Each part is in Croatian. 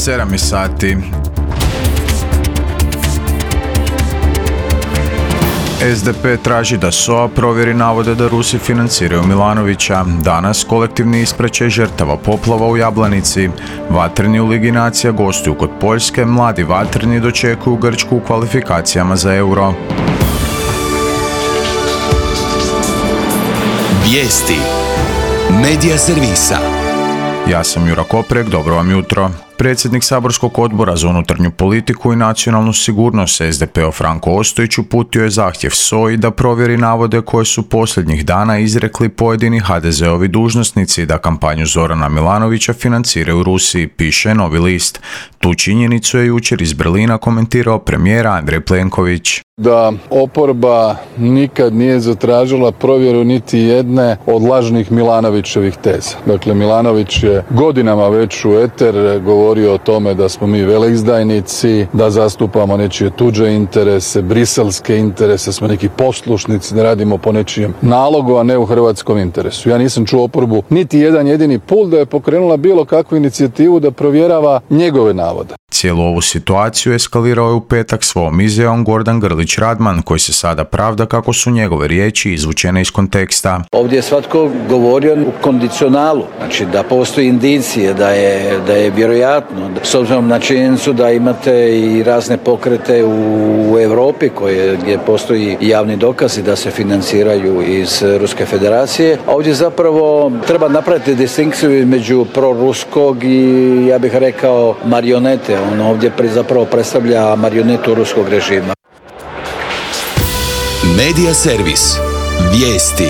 7 sati. SDP traži da SOA provjeri navode da Rusi financiraju Milanovića. Danas kolektivni ispraćaj žrtava poplava u Jablanici. Vatreni u Ligi nacija gostuju kod Poljske, mladi vatreni dočekuju Grčku u kvalifikacijama za Euro. Vijesti Medija servisa. Ja sam Jura Koprek, dobro vam jutro. Predsjednik saborskog odbora za unutarnju politiku i nacionalnu sigurnost SDP-a Franko Ostojić uputio je zahtjev SOA-i da provjeri navode koje su posljednjih dana izrekli pojedini HDZ-ovi dužnosnici da kampanju Zorana Milanovića financiraju Rusiji, piše Novi list. Tu činjenicu je jučer iz Berlina komentirao premijer Andrej Plenković. Da oporba nikad nije zatražila provjeru niti jedne od lažnih Milanovićevih teza. Dakle, Milanović je godinama već u eter govorio o tome da smo mi veleizdajnici, da zastupamo nečije tuđe interese, briselske interese, smo neki poslušnici, da radimo po nečijem nalogu, a ne u hrvatskom interesu. Ja nisam čuo oporbu niti jedan jedini put da je pokrenula bilo kakvu inicijativu da provjerava njegove navode. Cijelu ovu situaciju eskalirao je u petak svojom izjavom Gordan Grlić Radman, koji se sada pravda kako su njegove riječi izvučene iz konteksta. Ovdje je svatko govorio u kondicionalu, znači da postoji indicije, da je vjerojatno, s obzirom na činjenicu da imate i razne pokrete u Europi gdje postoji javni dokazi da se financiraju iz Ruske federacije. Ovdje zapravo treba napraviti distinkciju između proruskog i, ja bih rekao, marionete. On ovdje zapravo predstavlja marionetu ruskog režima. Medija servis. Vijesti.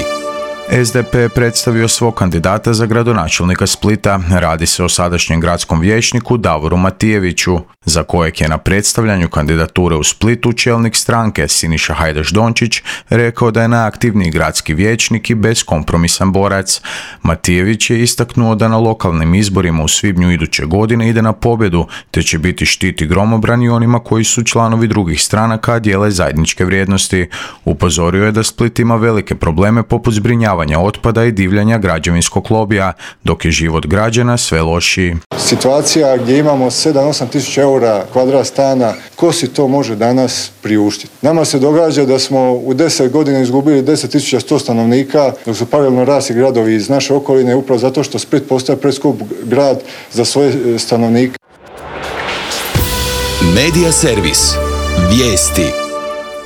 SDP je predstavio svog kandidata za gradonačelnika Splita. Radi se o sadašnjem gradskom vijećniku Davoru Matijeviću, za kojeg je na predstavljanju kandidature u Splitu čelnik stranke Siniša Hajdaš Dončić rekao da je najaktivniji gradski vijećnik i beskompromisan borac. Matijević je istaknuo da na lokalnim izborima u svibnju iduće godine ide na pobjedu, te će biti štit i gromobran i onima koji su članovi drugih stranaka, a dijele zajedničke vrijednosti. Upozorio je da Split ima velike probleme poput zbrinjavanja otpada i divljanja građevinskog lobija, dok je život građana sve lošiji. Situacija gdje imamo 7-8 tisuća eura kvadrat stana, ko si to može danas priuštiti? Nama se događa da smo u 10 godina izgubili 10.100 stanovnika, dok su paralelno rasli gradovi iz naše okoline, upravo zato što Split postaje preskup grad za svoje stanovnike. Medija servis. Vijesti.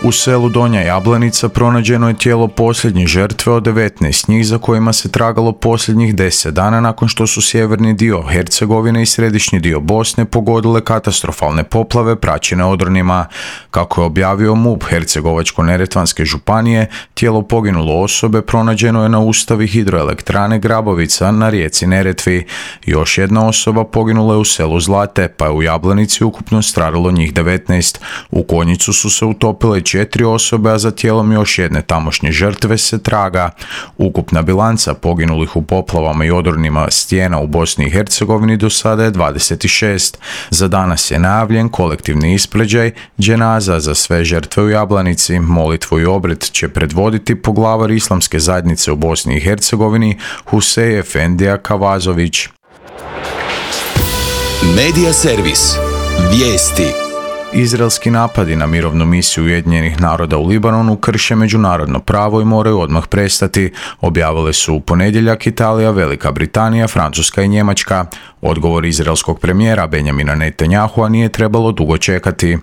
U selu Donja Jablanica pronađeno je tijelo posljednje žrtve od 19 njih za kojima se tragalo posljednjih 10 dana nakon što su sjeverni dio Hercegovine i središnji dio Bosne pogodile katastrofalne poplave praćene odronima. Kako je objavio MUP Hercegovačko-neretvanske županije, tijelo poginule osobe pronađeno je na ustavi hidroelektrane Grabovica na rijeci Neretvi. Još jedna osoba poginula je u selu Zlate, pa je u Jablanici ukupno stradalo njih 19. U Konjicu su se utopile 4 osobe, a za tijelom još jedne tamošnje žrtve se traga. Ukupna bilanca poginulih u poplavama i odronima stijena u Bosni i Hercegovini do sada je 26. Za danas je najavljen kolektivni ispraćaj dženaza za sve žrtve u Jablanici. Molitvu i obred će predvoditi poglavar islamske zajednice u Bosni i Hercegovini Husej Efendija Kavazović. Medija servis. Vijesti. Izraelski napadi na mirovnu misiju Ujedinjenih naroda u Libanonu krše međunarodno pravo i moraju odmah prestati, objavile su u ponedjeljak Italija, Velika Britanija, Francuska i Njemačka. Odgovor izraelskog premijera Benjamina Netanyahua nije trebalo dugo čekati.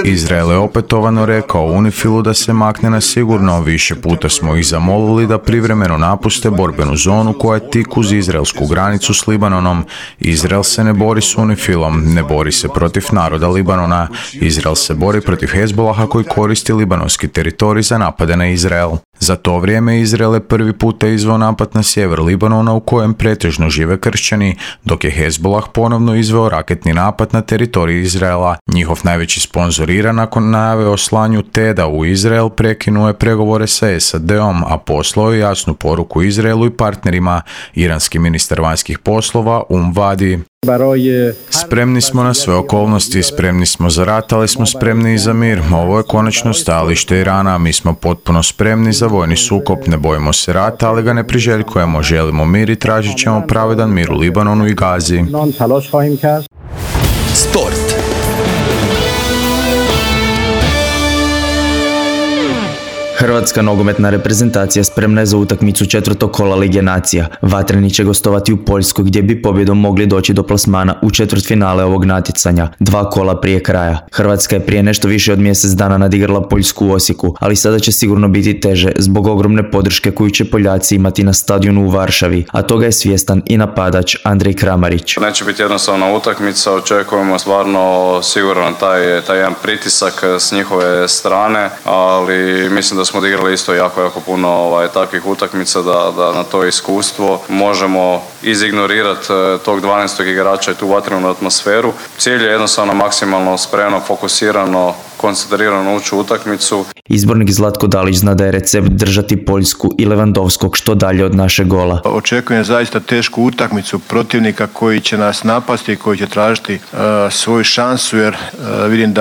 Izrael je opetovano rekao UNIFIL-u da se makne na sigurno, više puta smo ih zamolili da privremeno napuste borbenu zonu koja je tik uz izraelsku granicu s Libanonom. Izrael se ne bori s UNIFIL-om, ne bori se protiv naroda Libanona. Izrael se bori protiv Hezbolaha koji koristi libanonski teritorij za napade na Izrael. Za to vrijeme Izrael je prvi puta izveo napad na sjever Libanona u kojem pretežno žive kršćani, dok je Hezbolah ponovno izveo raketni napad na teritorij Izraela. Njihov najveći sponzor Iran nakon najave o slanju TED-a u Izrael prekinuo je pregovore sa SAD-om, a poslao je jasnu poruku Izraelu i partnerima. Iranski ministar vanjskih poslova Vadi. Spremni smo na sve okolnosti, spremni smo za rat, ali smo spremni i za mir. Ovo je konačno stajalište Irana, mi smo potpuno spremni za vojni sukob, ne bojimo se rata, ali ga ne priželjkujemo, želimo mir i tražit ćemo pravedan mir u Libanonu i Gazi. Sport. Hrvatska nogometna reprezentacija spremna je za utakmicu četvrtog kola Lige nacija. Vatreni će gostovati u Poljskoj gdje bi pobjedom mogli doći do plasmana u četvrtfinale ovog natjecanja, 2 kola prije kraja. Hrvatska je prije nešto više od mjesec dana nadigrala Poljsku u Osijeku, ali sada će sigurno biti teže zbog ogromne podrške koju će Poljaci imati na stadionu u Varšavi, a toga je svjestan i napadač Andrej Kramarić. Neće biti jednostavna utakmica, očekujemo stvarno siguran taj jedan pritisak s njihove strane, ali mislim da smo odigrali isto jako puno takvih utakmica da na to iskustvo možemo izignorirati tog 12. igrača i tu vatrenu atmosferu. Cilj je jednostavno maksimalno spremno, fokusirano, koncentrirano ući u utakmicu. Izbornik Zlatko Dalić zna da je recept držati Poljsku i Lewandowskog što dalje od našeg gola. Očekujem zaista tešku utakmicu protivnika koji će nas napasti i koji će tražiti svoju šansu, jer vidim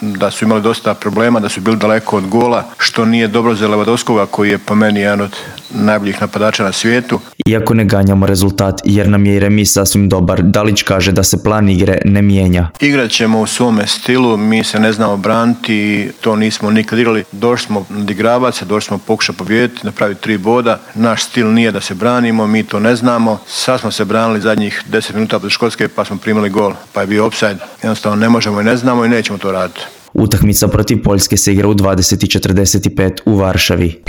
da su imali dosta problema, da su bili daleko od gola, što nije dobro za Lewandowskoga koji je po meni jedan od najboljih napadača na svijetu. Iako ne ganjamo rezultat jer nam je i remis sasvim dobar, Dalić kaže da se plan igre ne mijenja. Igrat ćemo u svome stilu, mi se ne znamo braniti, to nismo nikad igrali. Došli smo odigravati se, došli smo pokušati pobijediti, napraviti 3 boda. Naš stil nije da se branimo, mi to ne znamo. Sad smo se branili zadnjih 10 minuta protiv Škotske pa smo primili gol, pa je bio offside. Jednostavno ne možemo i ne znamo i nećemo to raditi. Utakmica protiv Poljske se igra u 20:45 u Varšavi.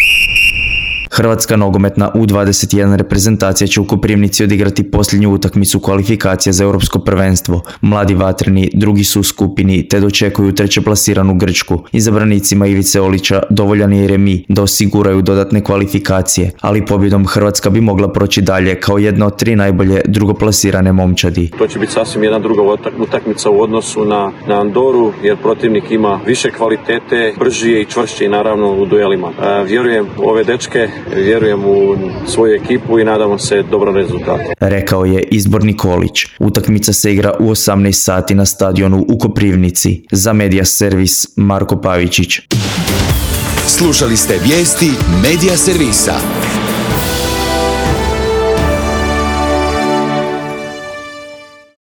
Hrvatska nogometna U21 reprezentacija će u Koprivnici odigrati posljednju utakmicu kvalifikacija za europsko prvenstvo. Mladi vatreni drugi su u skupini te dočekuju treće plasiranu Grčku. Izabranicima Ivice Olića dovoljan je i remi da osiguraju dodatne kvalifikacije, ali pobjedom Hrvatska bi mogla proći dalje kao jedna od 3 najbolje drugoplasirane momčadi. To će biti sasvim jedna druga utakmica u odnosu na Andoru, jer protivnik ima više kvalitete, brži je i čvršći naravno u duelima. Vjerujem u ove dečke, vjerujem u svoju ekipu i nadamo se dobrom rezultatu. Rekao je izbornik Olić. Utakmica se igra u 18 sati na stadionu u Koprivnici. Za Media Servis Marko Pavičić. Slušali ste vijesti Media Servisa.